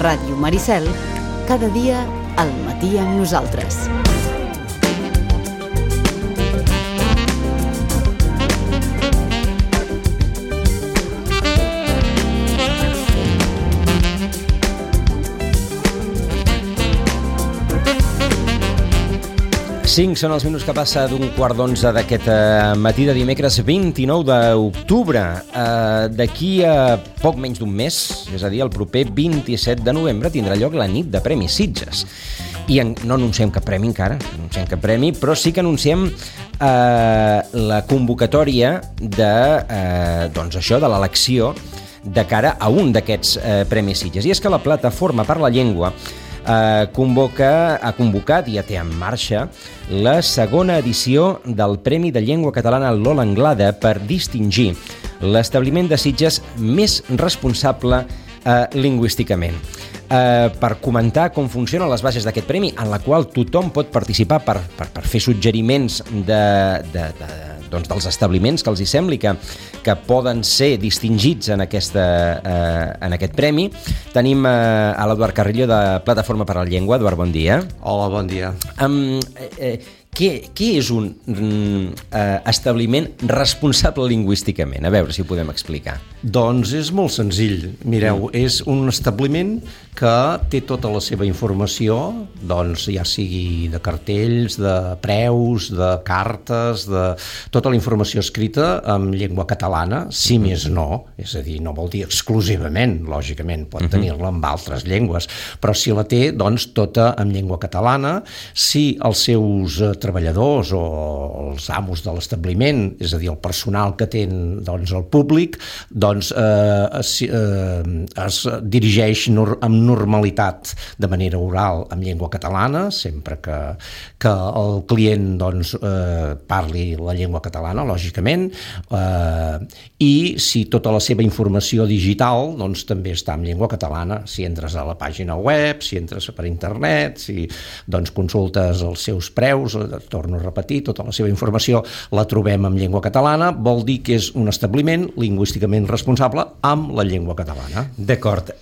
Ràdio Maricel, cada dia al matí amb nosaltres. Cinc són els minuts que passa d'un 10:15 d'aquest matí de dimecres 29 d'octubre. D'aquí a poc menys d'un mes, és a dir, el proper 27 de novembre, tindrà lloc la nit de Premis Sitges. I no anunciem cap premi encara, però sí que anunciem la convocatòria de l'elecció de cara a un d'aquests Premis Sitges. I és que la Plataforma per la Llengua ha convocat i ja té en marxa la segona edició del Premi de Llengua Catalana Lola Anglada per distingir l'establiment de Sitges més responsable lingüísticament. Per comentar com funcionen les bases d'aquest premi, en la qual tothom pot participar per fer suggeriments dels establiments que els hi sembli que poden ser distingits en aquest premi. Tenim a l'Eduard Carrillo de Plataforma per la Llengua. Eduard, bon dia. Hola, bon dia. Què és un establiment responsable lingüísticament? A veure si ho podem explicar. Doncs és molt senzill. Mireu, és un establiment que té tota la seva informació, doncs ja sigui de cartells, de preus, de cartes, de tota la informació escrita en llengua catalana, si més no, és a dir, no vol dir exclusivament, lògicament, pot tenir-la en altres llengües, però si la té, doncs tota en llengua catalana. Si els seus treballadors o els amos de l'establiment, és a dir, el personal que té el públic, doncs es dirigeix amb normalitat de manera oral en llengua catalana, sempre que el client parli la llengua catalana, lògicament, i si tota la seva informació digital doncs també està en llengua catalana, si entres a la pàgina web, si entres per internet, si consultes els seus preus, torno a repetir, tota la seva informació la trobem en llengua catalana, vol dir que és un establiment lingüísticament responsable amb la llengua catalana. D'acord.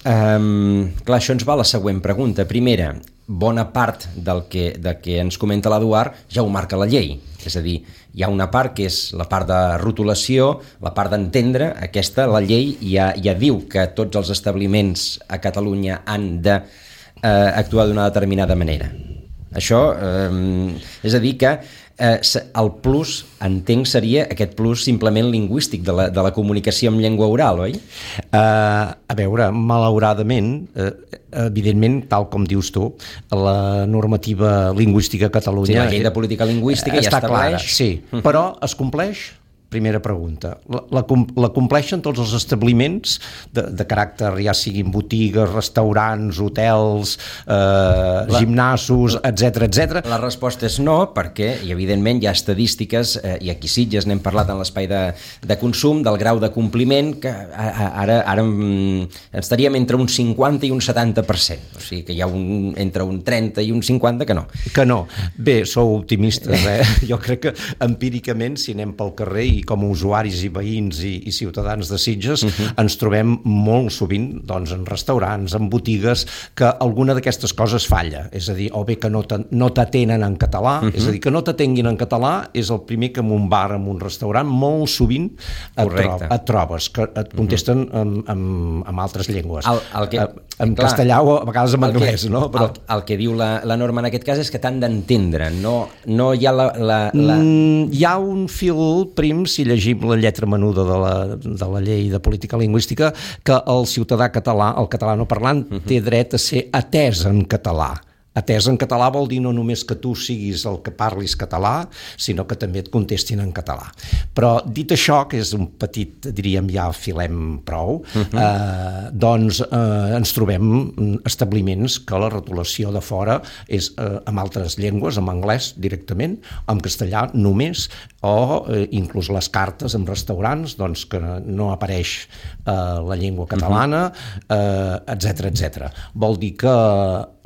Clar, això ens va a la següent pregunta. Primera, bona part del que ens comenta l'Eduard ja ho marca la llei. És a dir, hi ha una part que és la part de rotulació, la part d'entendre. Aquesta, la llei ja diu que tots els establiments a Catalunya han d'actuar d'una determinada manera. Això, és a dir que el plus, entenc, seria aquest plus simplement lingüístic de la comunicació en llengua oral, oi? A veure, malauradament, evidentment, tal com dius tu, la normativa lingüística a Catalunya... Sí, la llei de política lingüística ja estableix... Està clara, sí, però es compleix? Primera pregunta. La compleixen tots els establiments de caràcter, ja siguin botigues, restaurants, hotels, gimnasos, etc. La resposta és no, perquè, i evidentment, hi ha estadístiques, i aquí Sitges n'hem parlat en l'espai de consum, del grau de compliment, que ara estaríem entre un 50 i un 70%. O sigui que hi ha entre un 30 i un 50 que no. Que no. Bé, sou optimistes, eh? Jo crec que empíricament, si anem pel carrer i com a usuaris i veïns i ciutadans de Sitges ens trobem molt sovint en restaurants, en botigues, que alguna d'aquestes coses falla. És a dir, o bé que no t'atenen en català, és a dir, que no t'atenguin en català és el primer que en un bar, en un restaurant, molt sovint et trobes, que et contesten en altres llengües. En castellà o a vegades en anglès, no? El que diu la norma en aquest cas és que t'han d'entendre, no hi ha hi ha un fil prim, si llegim la lletra menuda de la llei de política lingüística, que el ciutadà català, el catalanoparlant, té dret a ser atès en català. Atès en català vol dir no només que tu siguis el que parlis català, sinó que també et contestin en català. Però dit això, que és un petit, diríem, ja filem prou, doncs ens trobem establiments que la rotulació de fora és en altres llengües, en anglès directament, en castellà només, o inclús les cartes en restaurants, doncs que no apareix la llengua catalana, etc. Vol dir que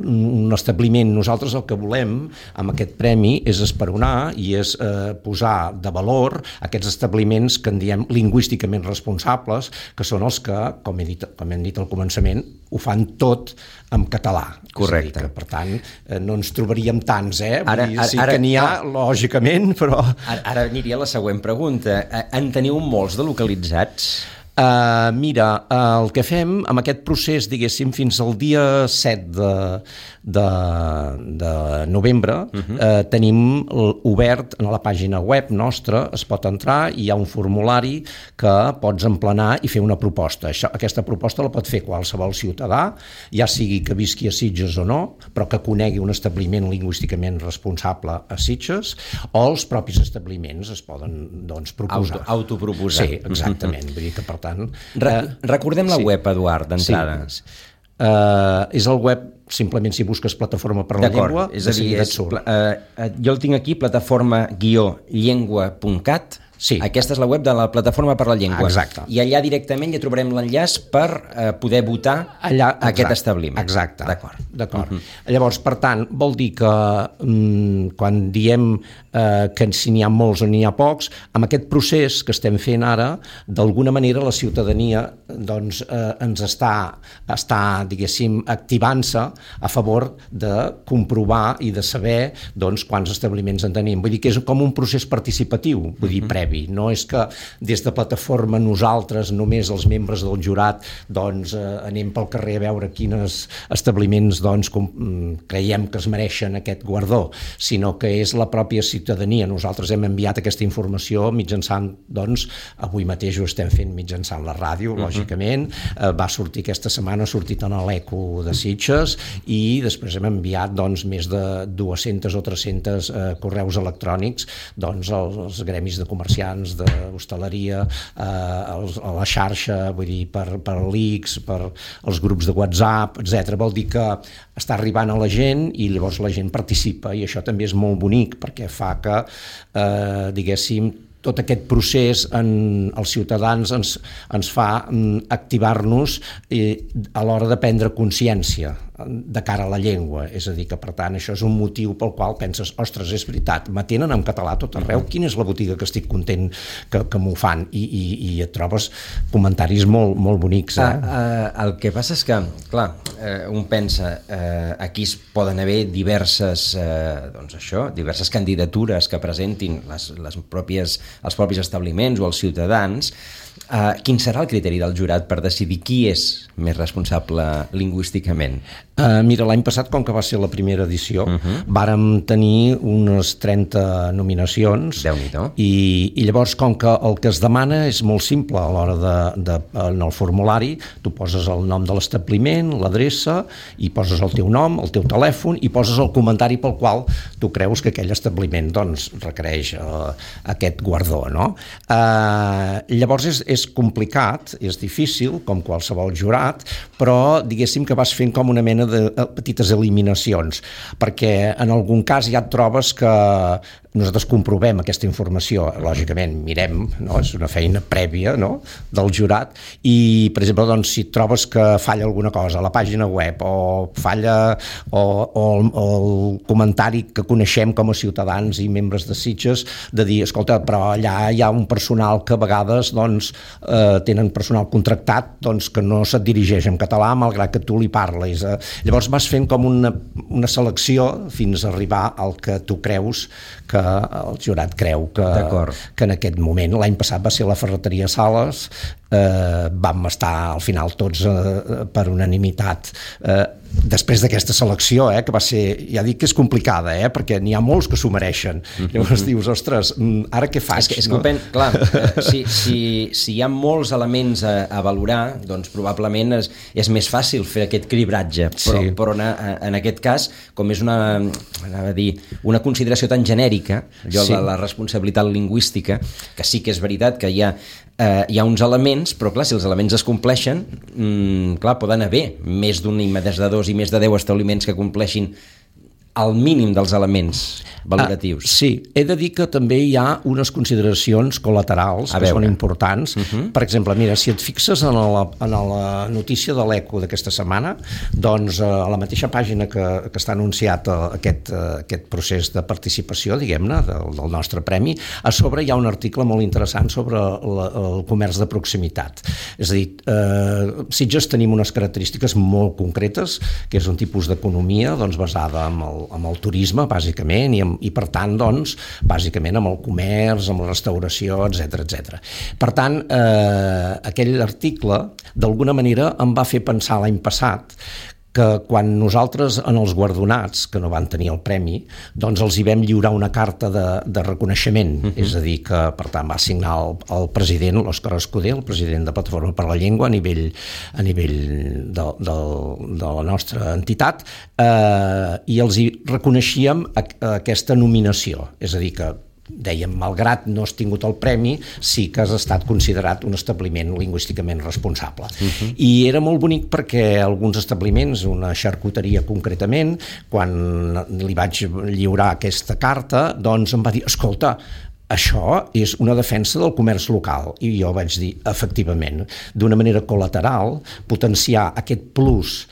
un establiment establiment. Nosaltres el que volem amb aquest premi és esperonar i és posar de valor aquests establiments que en diem lingüísticament responsables, que són els que, com hem dit al començament, ho fan tot en català. Correcte. És a dir, que, per tant, no ens trobaríem tants, Ara, sí que n'hi ha, lògicament, però... Ara aniria a la següent pregunta. En teniu molts de localitzats? Mira, el que fem amb aquest procés, diguéssim, fins al dia 7 de novembre, tenim obert a la pàgina web nostra, es pot entrar i hi ha un formulari que pots emplenar i fer una proposta. Aquesta proposta la pot fer qualsevol ciutadà, ja sigui que visqui a Sitges o no, però que conegui un establiment lingüísticament responsable a Sitges, o els propis establiments es poden, doncs, proposar. Autoproposar. Sí, exactament. Vull dir que, per tant... Recordem la web, Eduard, d'entrada. Sí. És el web, simplement si busques Plataforma per la Llengua, és a dir, jo el tinc aquí, plataforma-llengua.cat. Sí. Aquesta és la web de la Plataforma per la Llengua. Exacte. I allà directament ja trobarem l'enllaç per poder votar allà, aquest establiment. Exacte. D'acord. Llavors, per tant, vol dir que quan diem que si n'hi ha molts o n'hi ha pocs, amb aquest procés que estem fent ara, d'alguna manera la ciutadania doncs, ens està diguéssim, activant-se a favor de comprovar i de saber doncs, quants establiments en tenim. Vull dir que és com un procés participatiu, vull dir, previ. No és que des de Plataforma nosaltres, només els membres del jurat, doncs, anem pel carrer a veure quins establiments doncs, creiem que es mereixen aquest guardó, sinó que és la pròpia ciutadania. Nosaltres hem enviat aquesta informació mitjançant, doncs, avui mateix ho estem fent mitjançant la ràdio, lògicament, va sortir aquesta setmana, ha sortit en l'Eco de Sitges i després hem enviat doncs, més de 200 o 300 correus electrònics doncs, als gremis de comerciants, d'hostaleria, a la xarxa, vull dir, per l'ICS, per els grups de WhatsApp, etc. Vol dir que està arribant a la gent i llavors la gent participa i això també és molt bonic perquè fa que, diguéssim, tot aquest procés els ciutadans ens fa activar-nos a l'hora de prendre consciència de cara a la llengua, és a dir que per tant això és un motiu pel qual penses, ostres, és veritat, m'atenen en català tot arreu, quina és la botiga que estic content que m'ho fan, i et trobes comentaris molt, molt bonics. El que passa és que, clar, un pensa, aquí es poden haver diverses candidatures que presentin els propis establiments o els ciutadans. Quin serà el criteri del jurat per decidir qui és més responsable lingüísticament? Mira, l'any passat, com que va ser la primera edició, vàrem tenir unes 30 nominacions. Déu-n'hi-do. I llavors, com que el que es demana és molt simple a l'hora en el formulari, tu poses el nom de l'establiment, l'adreça, i poses el teu nom, el teu telèfon, i poses el comentari pel qual tu creus que aquell establiment doncs, requereix aquest guardó, no? Llavors és complicat, és difícil, com qualsevol jurat, però diguéssim que vas fent com una mena de petites eliminacions, perquè en algun cas ja et trobes que nosaltres comprovem aquesta informació, lògicament mirem, no? És una feina prèvia, no? Del jurat, i per exemple doncs, si trobes que falla alguna cosa a la pàgina web o falla o el comentari que coneixem com a ciutadans i membres de Sitges, de dir, escolta, però allà hi ha un personal que a vegades doncs, tenen personal contractat doncs, que no se't dirigeix en català malgrat que tu li parles. Llavors vas fent com una selecció fins a arribar al que tu creus que el jurat creu que en aquest moment. L'any passat va ser la Ferreteria Sales, vam estar al final tots per unanimitat després d'aquesta selecció, que va ser, ja dic que és complicada, perquè n'hi ha molts que s'ho mereixen. Llavors dius, ostres, ara què faig? És que clar, si hi ha molts elements a valorar, doncs probablement és més fàcil fer aquest cribratge, però en aquest cas, com és una consideració tan genèrica, allò de la responsabilitat lingüística, que sí que és veritat que hi ha uns elements, però clar, si els elements es compleixen, clar, poden haver més d'un i més de dos i més de 10 establiments que compleixin el mínim dels elements valoratius. Sí, he de dir que també hi ha unes consideracions col·laterals que són importants. Per exemple, mira, si et fixes en la notícia de l'Eco d'aquesta setmana, doncs a la mateixa pàgina que està anunciat aquest procés de participació, diguem-ne, del nostre premi, a sobre hi ha un article molt interessant sobre el comerç de proximitat. És a dir, Sitges tenim unes característiques molt concretes, que és un tipus d'economia basada en el turisme, bàsicament, i per tant, doncs, bàsicament amb el comerç, amb la restauració, etc. Per tant, aquell article, d'alguna manera, em va fer pensar l'any passat que quan nosaltres, en els guardonats, que no van tenir el premi, doncs els hi vam lliurar una carta de reconeixement, és a dir, que per tant va signar el president, l'Òscar Escudé, el president de Plataforma per la Llengua a nivell de la nostra entitat, i els hi reconeixíem aquesta nominació, és a dir, que dèiem, malgrat no has tingut el premi, sí que has estat considerat un establiment lingüísticament responsable. I era molt bonic perquè alguns establiments, una xarcuteria concretament, quan li vaig lliurar aquesta carta, doncs em va dir, escolta, això és una defensa del comerç local. I jo vaig dir, efectivament, d'una manera col·lateral, potenciar aquest plus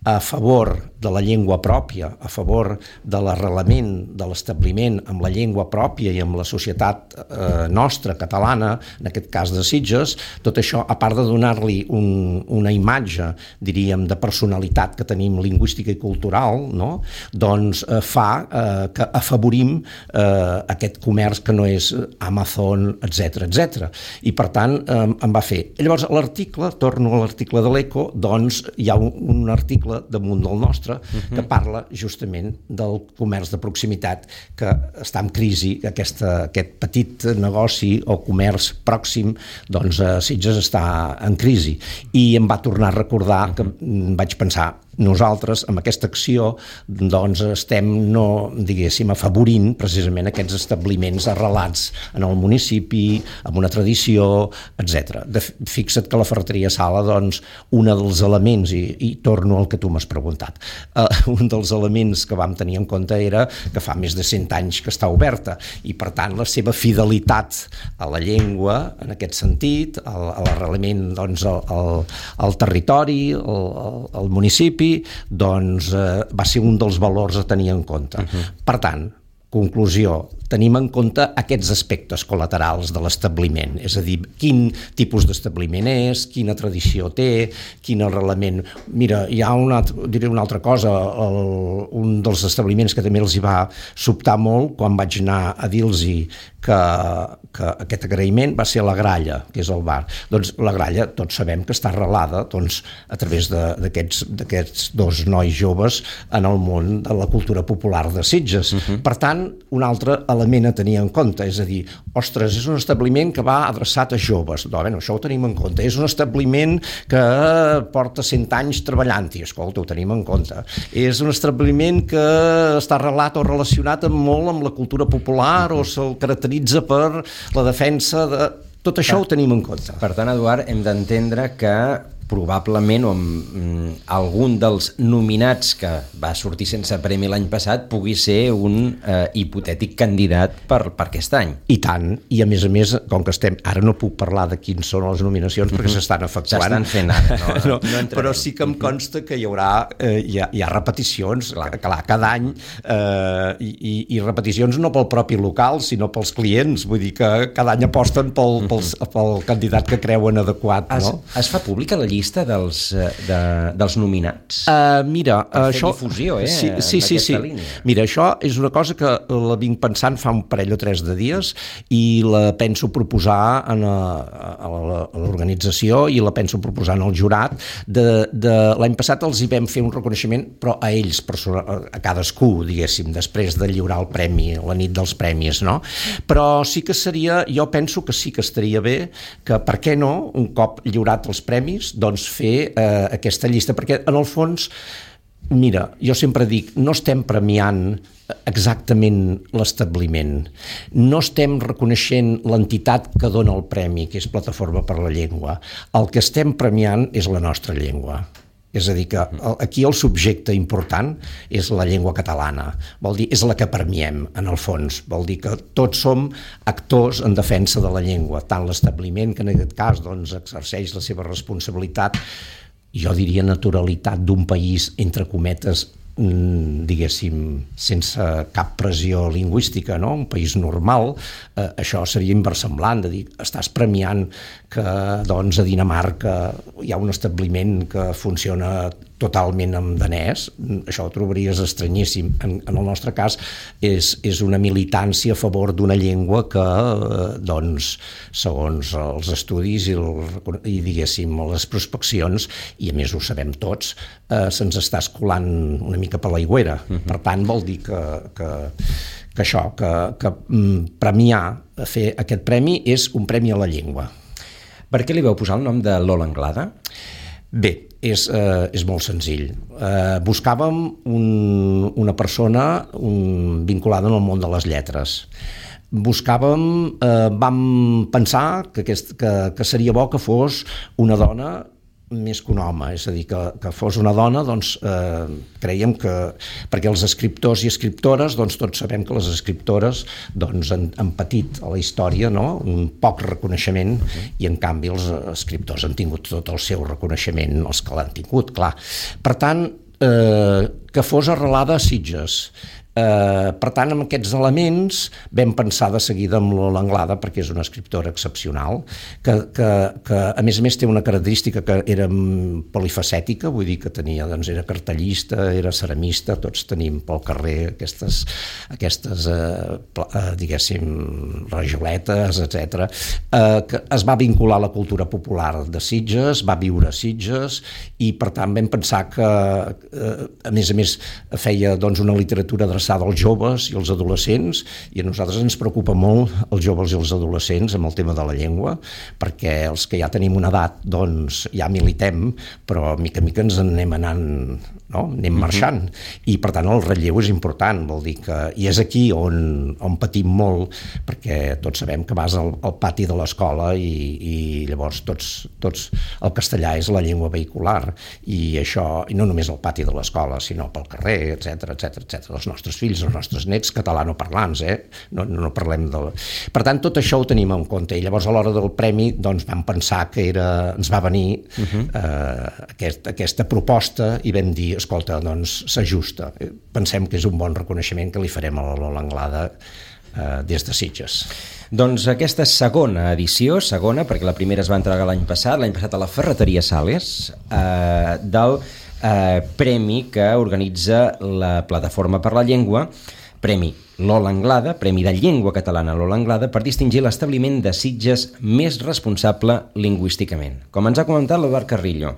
a favor de la llengua pròpia, a favor de l'arrelament de l'establiment amb la llengua pròpia i amb la societat nostra, catalana, en aquest cas de Sitges, tot això, a part de donar-li una imatge, diríem, de personalitat que tenim lingüística i cultural, no? Doncs fa que afavorim aquest comerç que no és Amazon, etc. I per tant em va fer. Llavors, l'article, torno a l'article de l'Eco, doncs hi ha un article damunt del nostre que parla justament del comerç de proximitat que està en crisi, aquest petit negoci o comerç pròxim, doncs Sitges està en crisi. I em va tornar a recordar que vaig pensar, nosaltres, amb aquesta acció, doncs estem, no, diguéssim, afavorint precisament aquests establiments arrelats en el municipi, amb una tradició, etc. Fixa't que la ferreteria Sala, doncs, un dels elements, i torno al que tu m'has preguntat, un dels elements que vam tenir en compte era que fa més de 100 anys que està oberta, i per tant la seva fidelitat a la llengua, en aquest sentit, a l'arrelament, doncs, al territori, al municipi, doncs va ser un dels valors a tenir en compte. Per tant, conclusió, tenim en compte aquests aspectes col·laterals de l'establiment, és a dir, quin tipus d'establiment és, quina tradició té, quin arrelament. Mira, hi ha diré una altra cosa, un dels establiments que també els hi va sobtar molt quan vaig anar a dir-los que aquest agraïment va ser la Gralla, que és el bar. Doncs la Gralla, tots sabem que està arrelada a través d'aquests dos nois joves en el món de la cultura popular de Sitges. Per tant, un altre element a tenir en compte, és a dir, ostres, és un establiment que va adreçat a joves, doncs, això ho tenim en compte, és un establiment que porta 100 anys treballant-hi, escolta, ho tenim en compte, és un establiment que està arrelat o relacionat molt amb la cultura popular o se'l caracteritza per la defensa de... Tot això ho tenim en compte. Per tant, Eduard, hem d'entendre que probablement algun dels nominats que va sortir sense premi l'any passat pugui ser un hipotètic candidat per aquest any. I tant, i a més, com que estem... Ara no puc parlar de quins són les nominacions perquè s'estan efectuant. S'estan fent ara, no però sí que em consta que hi haurà hi ha repeticions, clar, cada any, i repeticions no pel propi local, sinó pels clients, vull dir que cada any aposten pel candidat que creuen adequat. Es fa pública la llista dels nominats? Mira, això... difusió, sí. Línia. Mira, això és una cosa que la vinc pensant fa un parell o 3 de dies i la penso proposar a l'organització i la penso proposar al jurat. L'any passat els hi vam fer un reconeixement, però a ells, a cadascú, diguéssim, després de lliurar el premi, la nit dels premis, no? Però sí que seria, jo penso que sí que estaria bé que, per què no, un cop lliurat els premis, doncs fer aquesta llista, perquè en el fons, mira, jo sempre dic, no estem premiant exactament l'establiment, no estem reconeixent l'entitat que dona el premi, que és Plataforma per la Llengua, el que estem premiant és la nostra llengua. És a dir, que aquí el subjecte important és la llengua catalana, vol dir, és la que premiem, en el fons, vol dir que tots som actors en defensa de la llengua, tant l'establiment, que en aquest cas doncs, exerceix la seva responsabilitat, jo diria naturalitat d'un país, entre cometes, diguéssim, sense cap pressió lingüística, no? Un país normal, això seria inversemblant, de dir, estàs premiant que doncs, a Dinamarca hi ha un establiment que funciona totalment en danès, això ho trobaries estranyíssim. En el nostre cas és una militància a favor d'una llengua que, doncs, segons els estudis i diguéssim, les prospeccions, i a més ho sabem tots, se'ns està escolant una mica per l'aigüera. Per tant, vol dir que premiar, fer aquest premi és un premi a la llengua. Per què li vau posar el nom de Lola Anglada? Bé, és molt senzill. Buscàvem una persona vinculada en el món de les lletres. Vam pensar que seria bo que fos una dona més que un home, és a dir, que fos una dona, doncs creiem que, perquè els escriptors i escriptores, doncs tots sabem que les escriptores doncs, han patit a la història, no? Un poc reconeixement, i en canvi els escriptors han tingut tot el seu reconeixement, els que l'han tingut, clar. Per tant, que fos arrelada a Sitges. Per tant, amb aquests elements vam pensar de seguida amb Lola Anglada, perquè és una escriptora excepcional, que a més té una característica que era polifacètica, vull dir que tenia, doncs, era cartellista, era ceramista, tots tenim pel carrer aquestes diguéssim, rajoletes, etc. Que es va vincular a la cultura popular de Sitges, va viure a Sitges, i per tant vam pensar que, a més feia doncs, una literatura adreçada als joves i als adolescents, i a nosaltres ens preocupa molt els joves i els adolescents amb el tema de la llengua, perquè els que ja tenim una edat doncs ja militem, però mica en mica ens anem anant, no? Anem marxant, i per tant el relleu és important, vol dir que, i és aquí on patim molt, perquè tots sabem que vas al pati de l'escola i llavors tots el castellà és la llengua vehicular, i això, i no només al pati de l'escola, sinó pel carrer, etc. Els nostres fills, els nostres nets catalanoparlants, no parlem de... Per tant, tot això ho tenim en compte, i llavors a l'hora del premi doncs vam pensar que ens va venir aquesta proposta, i vam dir, escolta, doncs s'ajusta, pensem que és un bon reconeixement que li farem a la Lola Anglada des de Sitges. Doncs aquesta segona edició, perquè la primera es va entregar l'any passat a la Ferreteria Sales, del premi que organitza la Plataforma per la Llengua, Premi Lola Anglada, Premi de Llengua Catalana Lola Anglada, per distingir l'establiment de Sitges més responsable lingüísticament. Com ens ha comentat l'Eduard Carrillo,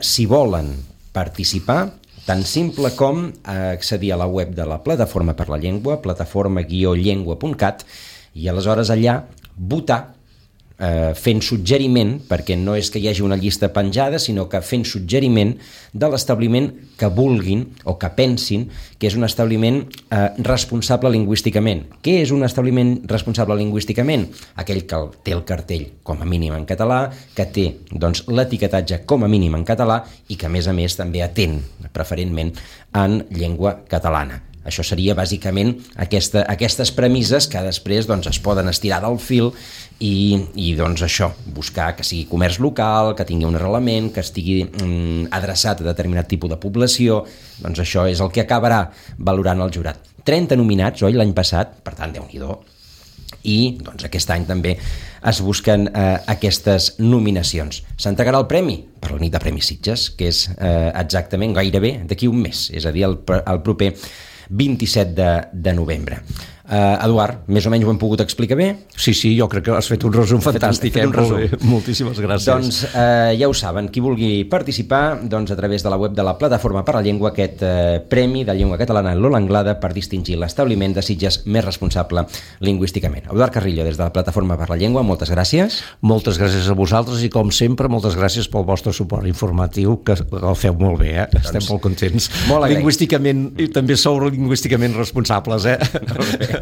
si volen participar, tan simple com accedir a la web de la Plataforma per la Llengua, plataforma-llengua.cat, i aleshores allà votar, fent suggeriment, perquè no és que hi hagi una llista penjada, sinó que fent suggeriment de l'establiment que vulguin o que pensin que és un establiment responsable lingüísticament. Què és un establiment responsable lingüísticament? Aquell que té el cartell com a mínim en català, que té doncs, l'etiquetatge com a mínim en català i que a més també atén preferentment en llengua catalana. Això seria bàsicament aquestes premisses que després doncs, es poden estirar del fil i doncs això, buscar que sigui comerç local, que tingui un arrelament, que estigui adreçat a determinat tipus de població, doncs això és el que acabarà valorant el jurat. 30 nominats, oi, l'any passat, per tant, Déu-n'hi-do, i doncs, aquest any també es busquen aquestes nominacions. S'entregarà el premi per la nit de Premis Sitges, que és exactament gairebé d'aquí un mes, és a dir, el proper 27 de novembre. Eduard, més o menys ho hem pogut explicar bé? Sí, jo crec que has fet un resum fantàstic. Moltíssimes gràcies. Doncs ja ho saben, qui vulgui participar, doncs a través de la web de la Plataforma per la Llengua, aquest Premi de Llengua Catalana Lola Anglada per distingir l'establiment de Sitges més responsable lingüísticament. Eduard Carrillo, des de la Plataforma per la Llengua, moltes gràcies. Moltes gràcies a vosaltres i, com sempre, moltes gràcies pel vostre suport informatiu, que el feu molt bé, Estem molt contents. Molt lingüísticament, i també sou lingüísticament responsables, Molt bé.